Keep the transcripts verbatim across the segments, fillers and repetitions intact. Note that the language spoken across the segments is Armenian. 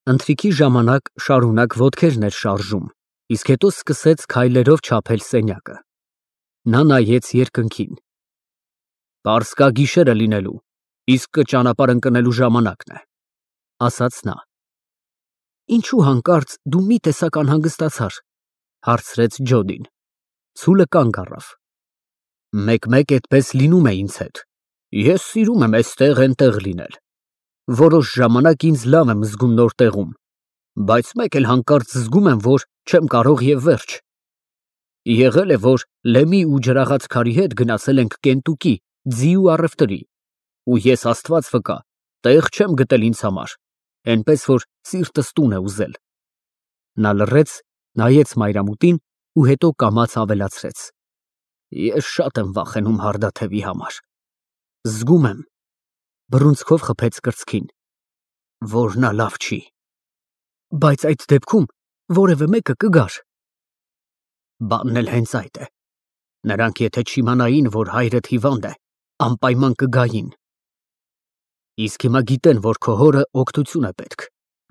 Ընթրիքի ժամանակ շարունակ ոտքերն էր շարժում, իսկ հետո սկսեց քայլերով չափել սենյակը։ Նա նայեց երկնքին։ Պարսկա գիշեր է լինելու, իսկ ճանապարհ ընկնելու ժամանակն է, ասաց նա։ Ինչու հանկարծ դու մի տեսակ անհանգստացար, հարցրեց Ջոդին։ Ցուլը կանգ առավ։ Մեկ-մեկ այդպես լինում է ինձ հետ։ Ես սիրում եմ էստեղ այնտեղ լինել։ Որոշ ժամանակ ինձ լավ եմ զգում նոր տեղում, բայց մեկ էլ հանկարծ զգում եմ, որ չեմ կարող և վերջ։ Եղել է, որ Լեմի ու ջրաղացքարի հետ գնացել ենք Կենտուկի, ձի ու առևտրի, ու ես Աստված վկա, տեղ չեմ գտել ինձ համար, էնպես որ սիրտս տուն է ուզել։ Նա լռեց, նայեց մայրամուտին ու հետո կամաց ավելացրեց. Ես շատ եմ վախենում հարդաթևի համար։ Զգում եմ, բռունցքով խփեց կրծքին, որ նա լավ չի։ Բայց այդ դեպքում որևէ մեկը կգար։ Բանն էլ հենց այդ է։ Նրանք եթե չիմանային, որ հայրդ հիվանդ է, անպայման կգային։ Իսկ հիմա գիտեն, որ քո հորը օգնություն է պետք,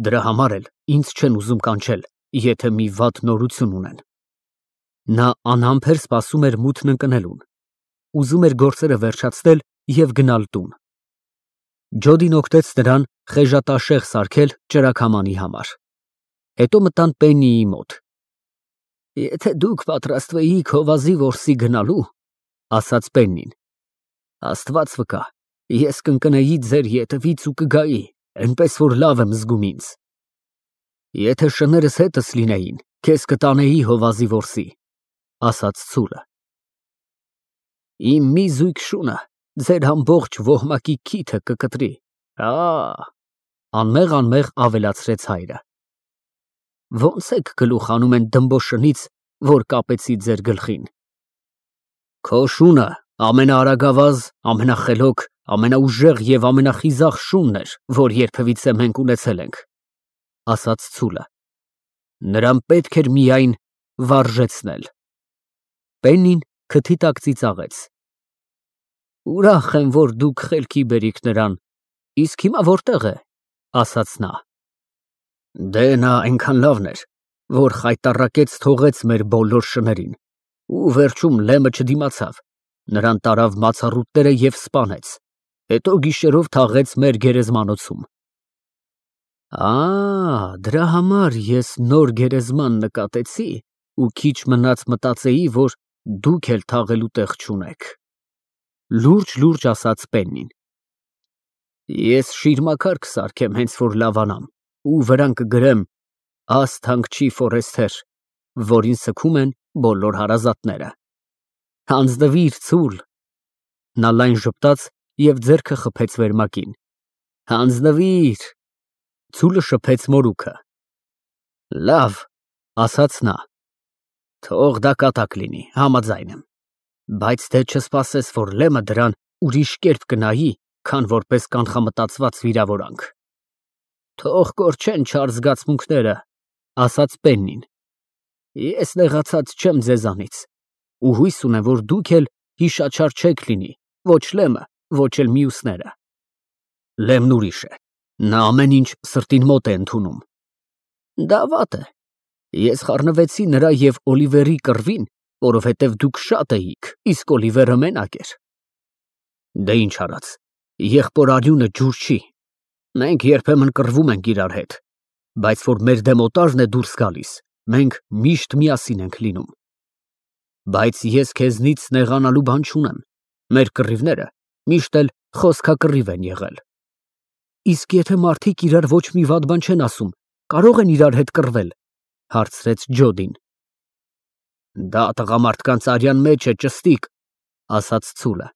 դրա համար էլ ինձ չեն ուզում կանչել, եթե մի վատ նորություն ունեն։ Նա անհամբեր սպասում էր մութն ընկնելուն, ուզում էր գործերը վերջացնել և գնալ տուն։ Ջոդին օգնեց նրան խեժատաշեղ սարքել ճրագամանի համար։ Հետո մտան Պեննիի մոտ։ Եթե դուք պատրաստվեիք հովազի որսի գնալու, ասաց Պեննին, Աստված վկա, ես կընկնեի ձեր ետևից ու կգայի, այնպես որ լավ եմ զգում ինձ։ Եթե շներս հետս լինեին, քեզ կտանեի հովազի որսի, ասաց ցուլը։ Իմ մի զույգ շունը ձեր ամբողջ ոհմակի քիթը կկտրի, հա, անմեղ-անմեղ ավելացրեց հայրը։ Ոնց եք գլուխ հանում են դմբոշնից, որ կապեցի ձեր գլխին։ Քո շունը ամենաարագավազ, ամենախելոք, ամենաուժեղ և ամենախիզախ շունն էր, որ երբևիցե մենք ունեցել ենք, ասաց ցուլը։ Նրան պետք էր միայն վարժեցնել։ Պեննին քթի տակ ծիծաղեց։ Ուրախ եմ, որ դուք խելքի բերիք նրան, իսկ հիմա որտեղ է, ասաց նա։ Դե նա այնքան լավն էր, որ խայտառակեց թողեց մեր բոլոր շներին, ու վերջում Լեմը չդիմացավ, նրան տարավ մացառուտները և սպանեց, հետո գիշերով թաղեց մեր գերեզմանոցում։ Ա, դրա համար ես նոր գերեզման նկատեցի ու քիչ մնաց մտածեի, որ դուք էլ թաղելու տեղ չունեք, լուրջ-լուրջ ասաց Պեննին։ Ես շիրմաքար կսարքեմ հենց որ լավանամ ու վրան կգրեմ աստ հանգչի Ֆորեսթեր, որին սգում են բոլոր հարազատները։ Հանձնվիր, ցուլ։ Նա լայն ժպտաց և ձեռքը խփեց վերմակին։ Հանձնվիր։ Ցուլը շփեց մորուքը։ Լավ, ասաց նա։ Թող դա կատակ լինի, համաձայն եմ, բայց թե չսպասես, որ Լեմը դրան ուրիշ կերպ կնայի, քան որպես կանխամտածված վիրավորանք։ Թող կորչեն չար զգացմունքները, ասաց Պեննին։ Ես նեղացած չեմ ձեզանից, ու հույս ունեմ, որ դուք էլ հիշաչար չեք լինի, ոչ Լեմը, ոչ էլ մյուսները։ Լեմն ուրիշ է, նա ամեն ինչ սրտին մոտ է ընդունում։ Դա վատ է։ Ես խառնվեցի նրա և Օլիվերի կռվին, որովհետև դուք շատ էիք, իսկ Օլիվերը մենակ էր։ Դե ինչ արած, եղբոր արյունը ջուր չի։ Մենք երբեմն կռվում ենք իրար հետ, բայց որ մեր դեմ օտարն է դուրս գալիս, մենք միշտ միասին ենք լինում։ Բայց ես քեզնից նեղանալու բան չունեմ, մեր կռիվները միշտ էլ խոսքակռիվ են եղել։ Իսկ եթե մարդիկ իրար ոչ մի վատ բան չեն ասում, կարող են իրար հետ կռվել, հարցրեց Ջոդին։ Դա տղամարդկանց արյան մեջ է, ճստիկ, ասաց ցուլը։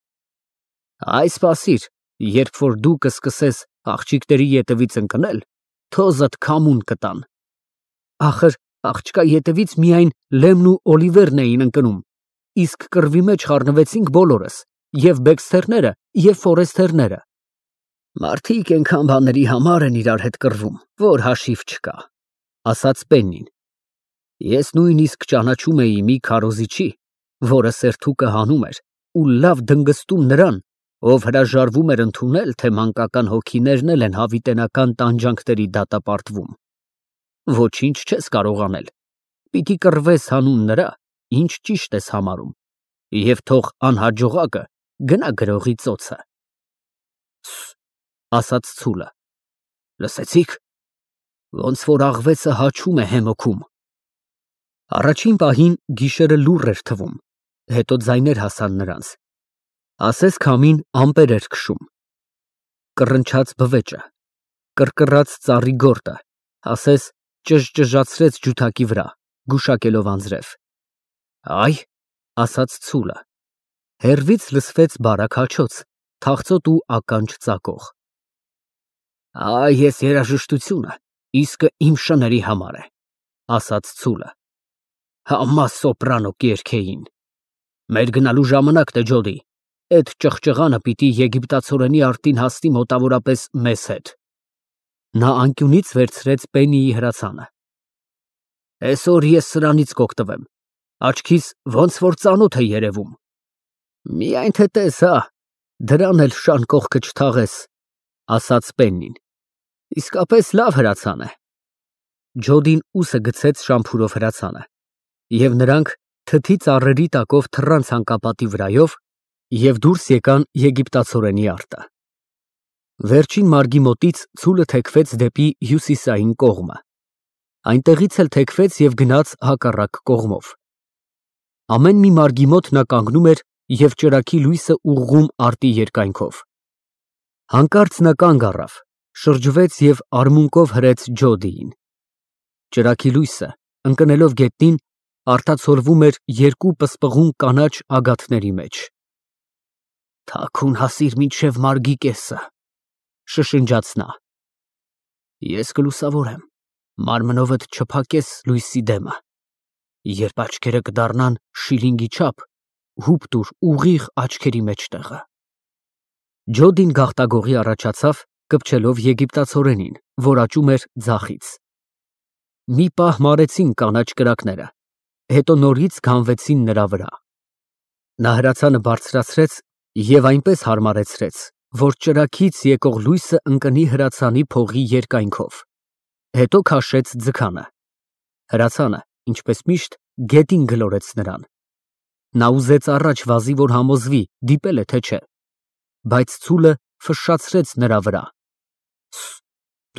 Այ սպասիր, երբ որ դու կսկսես աղջիկների ետևից ընկնել, թոզդ քամուն կտան։ Ախր աղջկա ետևից միայն Լեմն ու Օլիվերն էին ընկնում, իսկ կռվի մեջ խառնվեցինք բոլորս, և Բեքսթերները, և Ֆորեսթերները։ Մարդիկ այնքան բաների համար են իրար հետ կռվում, որ հաշիվ չկա, ասաց Պեննին։ Ես նույնիսկ ճանաչում էի մի քարոզիչի, որը սերթուկը հանում էր ու լավ դնգստում նրան, ով հրաժարվում էր ընդունել, թե մանկական հոգիներն էլ են հավիտենական տանջանքների դատապարտվում։ Ոչինչ չես կարող անել, պիտի կռվես հանուն նրա, ինչ ճիշտ ես համարում, և թող անհաջողակը գնա գրողի ծոցը։ Ասաց ցուլը, լսեցի՞ք, ոնց որ աղվեսը հաչում է հեմոքում։ Առաջին պահին գիշերը լուռ էր թվում, հետո ձայներ հասան նրանց, ասես քամին ամպեր էր քշում, կռնչաց բվեճը, կռկռաց ծառի գորտը, ասես ճժճժացրեց ջութակի վրա, գուշակելով անձրև։ Այ, ասաց ցուլը, հեռվից լսվեց բարակ հաչոց, թախծոտ ու ականջ ծակող։ Այ, ես երաժշտությունը իսկը իմ շների համար է, ասաց ցուլը, համա սոպրանո կերքեին։ Մեր գնալու ժամանակն է, Ջոդի, էդ ճղճղանը պիտի եգիպտացորենի արտին հասնի մոտավորապես մեզ հետ։ Նա անկյունից վերցրեց Պեննիի հրացանը։ Այսօր ես սրանից կօգտվեմ, աչքիս ոնց որ ծանոթ է երևում։ Միայն թե տես, հա, դրան էլ շան կողքը չթաղես, ասաց Պեննին։ Իսկապես լավ հրացան է։ Ջոդին ուսը գցեց շամփուրով հրացանը, և նրանք թթի ծառերի տակով թռան ցանկապատի վրայով և դուրս եկան եգիպտացորենի արտը։ Վերջին մարգի մոտից ցուլը թեքվեց դեպի հյուսիսային կողմը, այնտեղից էլ թեքվեց և գնաց հակառակ կողմով։ Ամեն մի մարգի մոտ նա կանգնում էր և ճրագի լույսը ուղղում արտի երկայնքով։ Հանկարծ նա կանգ առավ, շրջվեց և արմունկով հրեց Ջոդիին։ Ճրագի լույսը, ընկնելով գետնին, արտացոլվում էր երկու պսպղուն կանաչ ագաթների մեջ։ Թաքուն հասիր մինչև մարգի կեսը, շշնջաց նա։ Ես կլուսավորեմ, մարմնովդ չփակես լույսի դեմը, երբ աչքերը կդառնան շիլինգի չափ, հուպ տուր ուղիղ աչքերի մեջտեղը։ Ջոդին գաղտագողի առաջացավ, կպչելով եգիպտացորենին, որ աճում էր ձախից։ Մի պահ մարեցին կանաչ կրակները, հետո նորից գանվեցին նրա վրա։ Նա հրացանը բարձրացրեց և այնպես հարմարեցրեց, որ ճրագից եկող լույսը ընկնի հրացանի փողի երկայնքով, հետո քաշեց ձգանը։ Հրացանը, ինչպես միշտ, գետին գլորեց նրան։ Նա ուզեց առաջ վազի, որ համոզվի, դիպել է, թե չէ, բայց ցուլը ֆշշացրեց նրա վրա։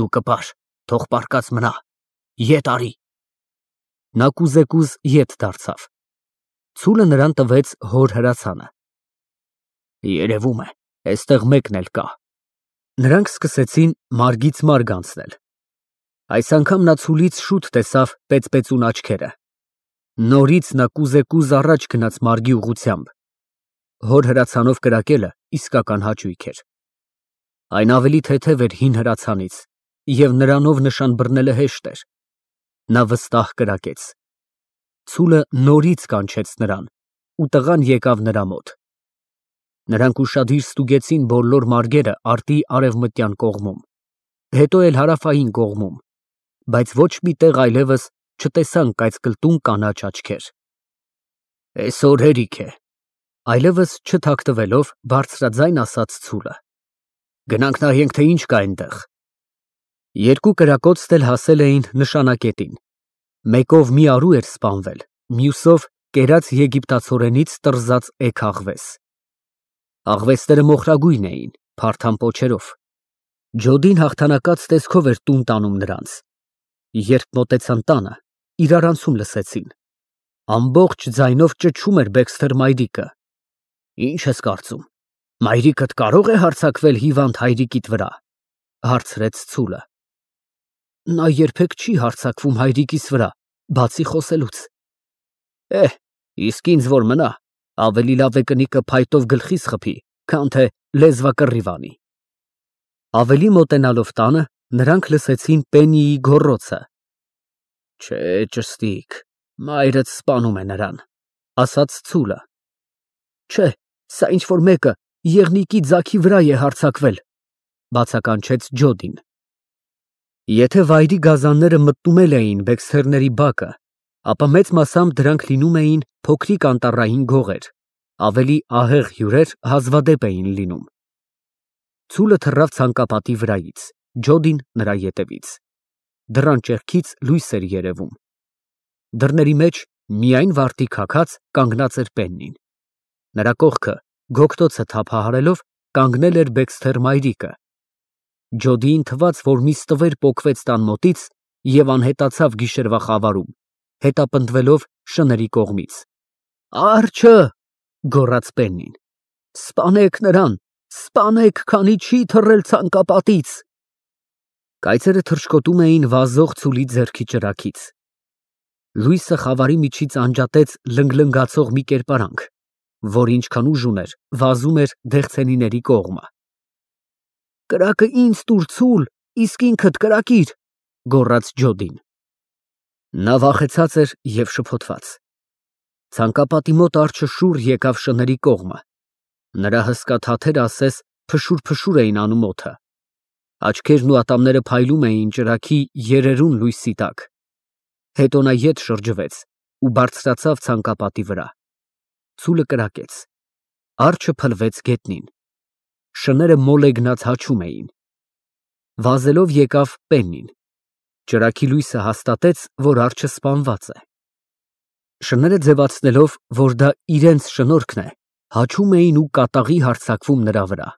Դու կպար, թող պառկած մնա, ետ արի։ Նա կուզեկուզ ետ դարձավ։ Ցուլը նրան տվեց հոր հրացանը։ Երևում է, այստեղ մեկն էլ կա։ Նրանք սկսեցին մարգից մարգ անցնել։ Այս անգամ նա ցուլից շուտ տեսավ պեծպեցուն աչքերը։ Նորից նա կուզեկուզ առաջ գնաց մարգի ուղղությամբ։ Հոր հրացանով կրակելը իսկական հաճույք էր։ Այն ավելի թեթև էր հին հրացանից, և նրանով նշան բռնելը հեշտ էր։ Նա վստահ կրակեց։ Ցուլը նորից կանչեց նրան, ու տղան եկավ նրա մոտ։ Նրանք ուշադիր ստուգեցին բոլոր մարգերը արտի արևմտյան կողմում, հետո էլ հարավային կողմում, բայց ոչ մի տեղ այլևս չտեսան կայծկլտուն կանաչ աչքեր։ Այսօր հերիք է, այլևս չթաքթվելով բարձրաձայն ասաց ցուլը։ Գնանք նայենք, թե ինչ կա այնտեղ։ Երկու կրակոցն էլ հասել էին նշանակետին։ Մեկով մի արու էր սպանվել, մյուսով կերած եգիպտացորենից տրզած էգ աղվես։ Աղվեսները մոխրագույն էին, փարթամ պոչերով։ Ջոդին հաղթանակած տեսքով էր տուն տանում նրանց։ Երբ մոտեցան տանը, իրարանցում լսեցին։ Ամբողջ ձայնով ճչում էր Բեքսթեր մայրիկը։ Ինչ ես կարծում, մայրիկդ կարո՞ղ է հարձակվել հիվանդ հայրիկիդ վրա, հարցրեց ցուլը։ Նա երբեք չի հարձակվում հայրիկիս վրա, բացի խոսելուց։ Էհ, իսկ ինձ որ մնա, ավելի լավ է կնիկը փայտով գլխիս խփի, քան թե լեզվակռիվ անի։ Ավելի մոտենալով տանը, նրանք լսեցին Պեննիի գոռոցը։ Չէ, ճշտիկ, մայրդ սպանում է նրան, ասաց ցուլը։ Չէ, սա ինչ որ մեկը եղնիկի ձագի վրա է հարձակվել, բացականչեց Ջոդին։ Եթե վայրի գազանները մտնում էլ էին Բեքսթերների բակը, ապա մեծ մասամբ դրանք լինում էին փոքրիկ անտառային գողեր, ավելի ահեղ հյուրեր հազվադեպ էին լինում։ Ցուլը թռավ ցանկապատի վրայից, Ջոդին նրա ետևից։ դռան ճեղքից լույս էր երևում։ Դռների մեջ միայն վարտի քաքած կանգնած էր Պեննին։ Նրա կողքը գոգտոցը թափահարելով կանգնել էր Բեքսթեր մայրիկը։ Ջոդիին թվաց, որ մի ստվեր պոկվեց տան մոտից և անհետացավ գիշերվա խավարում, հետապնդվելով շների կողմից։ Արջը, գոռաց Պեննին, սպանեք նրան, սպանեք, քանի չի թռել ցանկապատից։ Կայծերը թռչկոտում էին վազող ցուլի ձեռքի ճրագից։ Լույսը խավարի միջից անջատեց լնգլնգացող մի կերպարանք, որ ինչքան ուժ ուներ, վազում էր դեղցենիների կողմը։ Կրակը ինձ տուր, ցուլ, իսկ ինքդ կրակիր, գոռաց Ջոդին։ Նա վախեցած էր և շփոթված։ Ցանկապատի մոտ արջը շուռ եկավ շների կողմը։ Նրա հսկա թաթերը ասես փշուր-փշուր էին անում օդը։ Աչքերն ու ատամները փայլում էին ճրագի երերուն լույսի տակ։ Հետո նա ետ շրջվեց ու բարձրացավ ցանկապատի վրա։ Ցուլը կրակեց։ Արջը փլվեց գետնին։ Շները մոլեգնած հաչում էին։ Վազելով եկավ Պեննին։ Ճրագի լույսը հաստատեց, որ արջը սպանված է։ Շները ձևացնելով, որ դա իրենց շնորհքն է, հաչում էին ու կատաղի հարձակվում նրա վրա։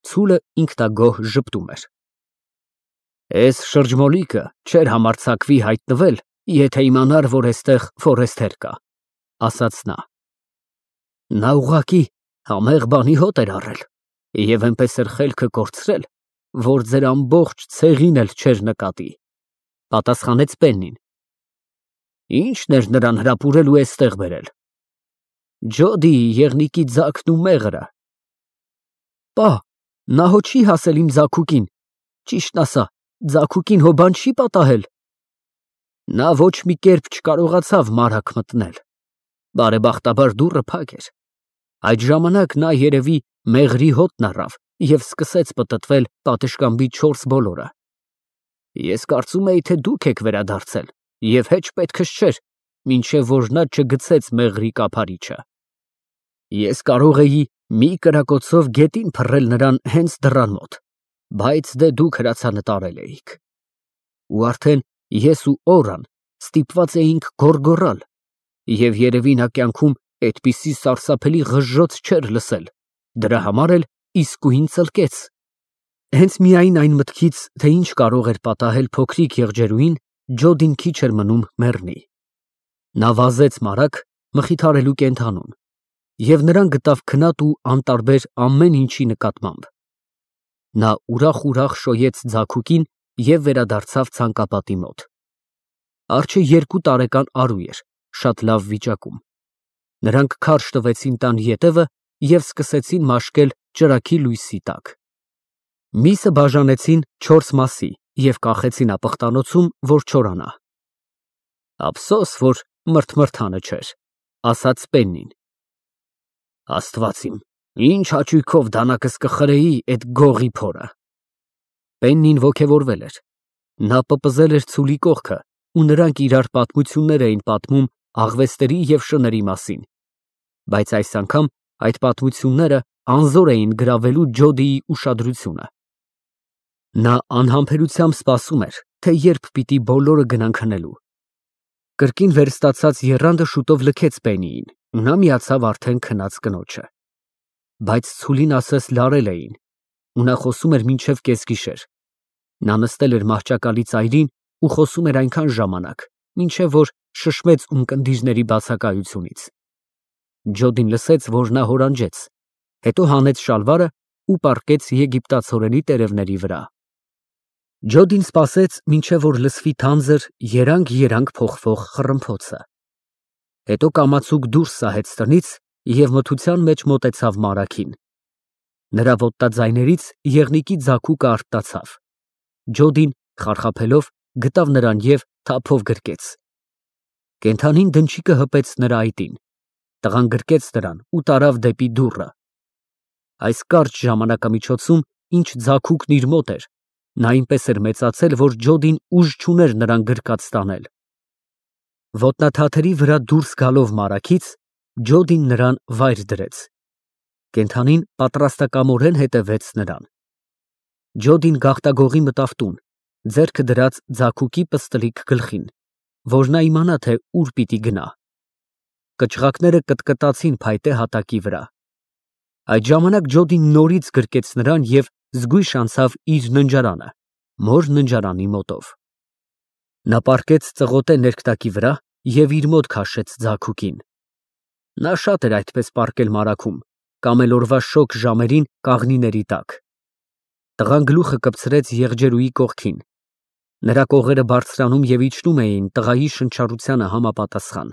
Ցուլը ինքնագոհ ժպտում էր։ Էս շրջմոլիկը չէր համարձակվի հայտնվել, եթե իմանար, որ էստեղ ֆորեստեր կա, ասաց նա։ Նա ուղղակի համեղ բանի հոտ էր առել և այնպես էր խելքը կորցրել, որ ձեր ամբողջ ցեղին էլ չէր նկատի, պատասխանեց Պեննին։ Ի՞նչն էր նրան հրապուրել ու էստեղ բերել։ Ջոդիի եղնիկի ձագն ու մեղրը։ Պա, նա հո չի հասել իմ ձագուկին, ճիշտն ասա, ձագուկին հո բան չի պատահել։ Նա ոչ մի կերպ չկարողացավ մարակ մտնել։ Բարեբախտաբար դուռը փակ էր։ Այդ ժամանակ նա երևի մեղրի հոտն առավ և սկսեց պտտվել պատշգամբի չորս բոլորը։ Ես կարծում էի, թե դուք եք վերադարձել և հեչ պետքս չէր, մինչև որ նա չգցեց մեղրի կափարիչը։ Ես կարող էի մի կրակոցով գետին փռել նրան հենց դռան մոտ, բայց դե դուք հրացանտարել էիք։ Ու արդեն ես ու Օրան ստիպված էինք գոռգոռալ, և երևի նա կյանքում այդպիսի սարսափելի ղժժոց չէր լսել, դրա համար էլ իսկույն ծլկեց։ Հենց միայն այն մտքից, թե ինչ կարող էր պատահել փոքրիկ եղջերուին, Ջոդին քիչ էր մնում մեռնի։ Նա վազեց մարаг մխիթարելու կենդանուն և նրան գտավ քնած ու անտարբեր ամեն ինչի նկատմամբ։ Նա ուրախ֊ուրախ շոյեց ձագուկին և վերադարձավ ցանկապատի մոտ։ Արջը երկու տարեկան արու էր, շատ լավ վիճակում։ Նրանք քարշ տվեցին տան ետևը և սկսեցին մաշկել ճրագի լույսի տակ։ Միսը բաժանեցին չորս մասի և կախեցին ապխտանոցում, որ չորանա։ Ափսոս, որ մրթմրթանը չէր, ասաց Պեննին։ Աստված իմ, ինչ հաճույքով դանակս կխրեի էդ գողի փորը։ Պեննին ոգևորվել էր։ Նա պպզել էր ցուլի կողքը ու նրանք իրար պատմություններ էին պատմում աղվեստերի և շների մասին, բայց այս անգամ այդ պատմությունները անզոր էին գրավելու Ջոդիի ուշադրությունը։ Նա անհամբերությամբ սպասում էր, թե երբ պիտի բոլորը գնան քնելու։ Կրկին վերստացած եռանդը շուտով լքեց Պեննիին ու նա միացավ արդեն քնած կնոջը։ Բայց ցուլին ասես լարել էին, ու նա խոսում էր մինչև կեսգիշեր։ Նա նստել էր մահճակալի ծայրին ու խոսում էր այնքան ժամանակ, մինչև որ շշմեց ունկնդիրների բացակայությունից։ Ջոդին լսեց, որ նա հորանջեց, հետո հանեց շալվարը ու պառկեց եգիպտացորենի տերևների վրա։ Ջոդին սպասեց, մինչև որ լսվի թանձր երանգ֊երանգ փոխվող խռմփոցը։ Հետո կամացուկ դուրս սահեց տնից և մթության մեջ մոտեցավ մարագին։ Նրա ոտնաձայներից եղնիկի ձագուկը արթնացավ։ Ջոդին, խարխափելով, գտավ նրան և թափով գրկեց։ Կենդանին դնչիկը հպեց նրա այտին։ Տղան գրկեց նրան ու տարավ դեպի դուռը։ Այս կարճ ժամանակամիջոցում, ինչ ձագուկն իր մոտ էր, նա այնպես էր մեծացել, որ Ջոդին ուժ չուներ նրան գրկած տանել։ Ոտնաթաթերի վրա դուրս գալով մարագից, Ջոդին նրան վայր դրեց։ Կենդանին պատրաստակամորեն հետևեց նրան։ Ջոդին գաղտագողի մտավ տուն ձեռքը դրած ձագուկի պստլիկ գլխին, որ նա իմանա, թե ուր պիտի գնա։ Կչղակները կտկտացին փայտե հատակի վրա։ Այդ ժամանակ Ջոդին նորից գրկեց նրան և զգույշ անցավ իր ննջարանը, մոր ննջարանի մոտով։ Նա պառկեց ծղոտե ներքտակի վրա և իր մոտ քաշեց ձագուկին։ Նա շատ էր այդպես պառկել մարագում, կամ էլ օրվա շոգ ժամերին կաղնիների տակ։ Տղան գլուխը կպցրեց եղջերուի կողքին, նրա կողերը բարձրանում և իջնում էին տղայի շնչառությանը համապատասխան։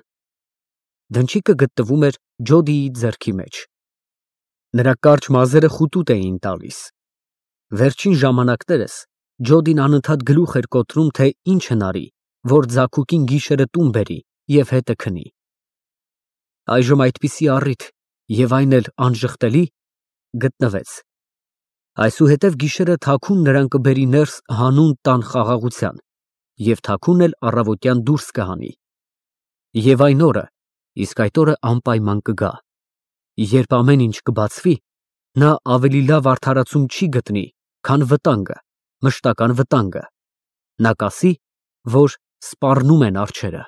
Դնչիկը գտնվում էր Ջոդիի ձեռքի մեջ։ Նրա կարճ մազերը խուտուտ էին տալիս։ Վերջին ժամանակներս Ջոդին անընդհատ գլուխ էր կոտրում, թե ինչ հնարի, որ ձագուկին գիշերը տուն բերի և հետը քնի։ Այժմ այդպիսի առիթ, և այն էլ անժխտելի, գտնվեց։ Այսուհետև գիշերը թաքուն նրան կբերի ներս հանուն տան խաղաղության և թաքուն էլ առավոտյան դուրս կհանի։ Եվ այն օրը, իսկ այդ օրը անպայման կգա, երբ ամեն ինչ կբացվի, նա ավելի լավ արդարացում չի գտնի, քան վտանգը, մշտական վտանգը։ Նա կասի, որ սպառնում են արջերը։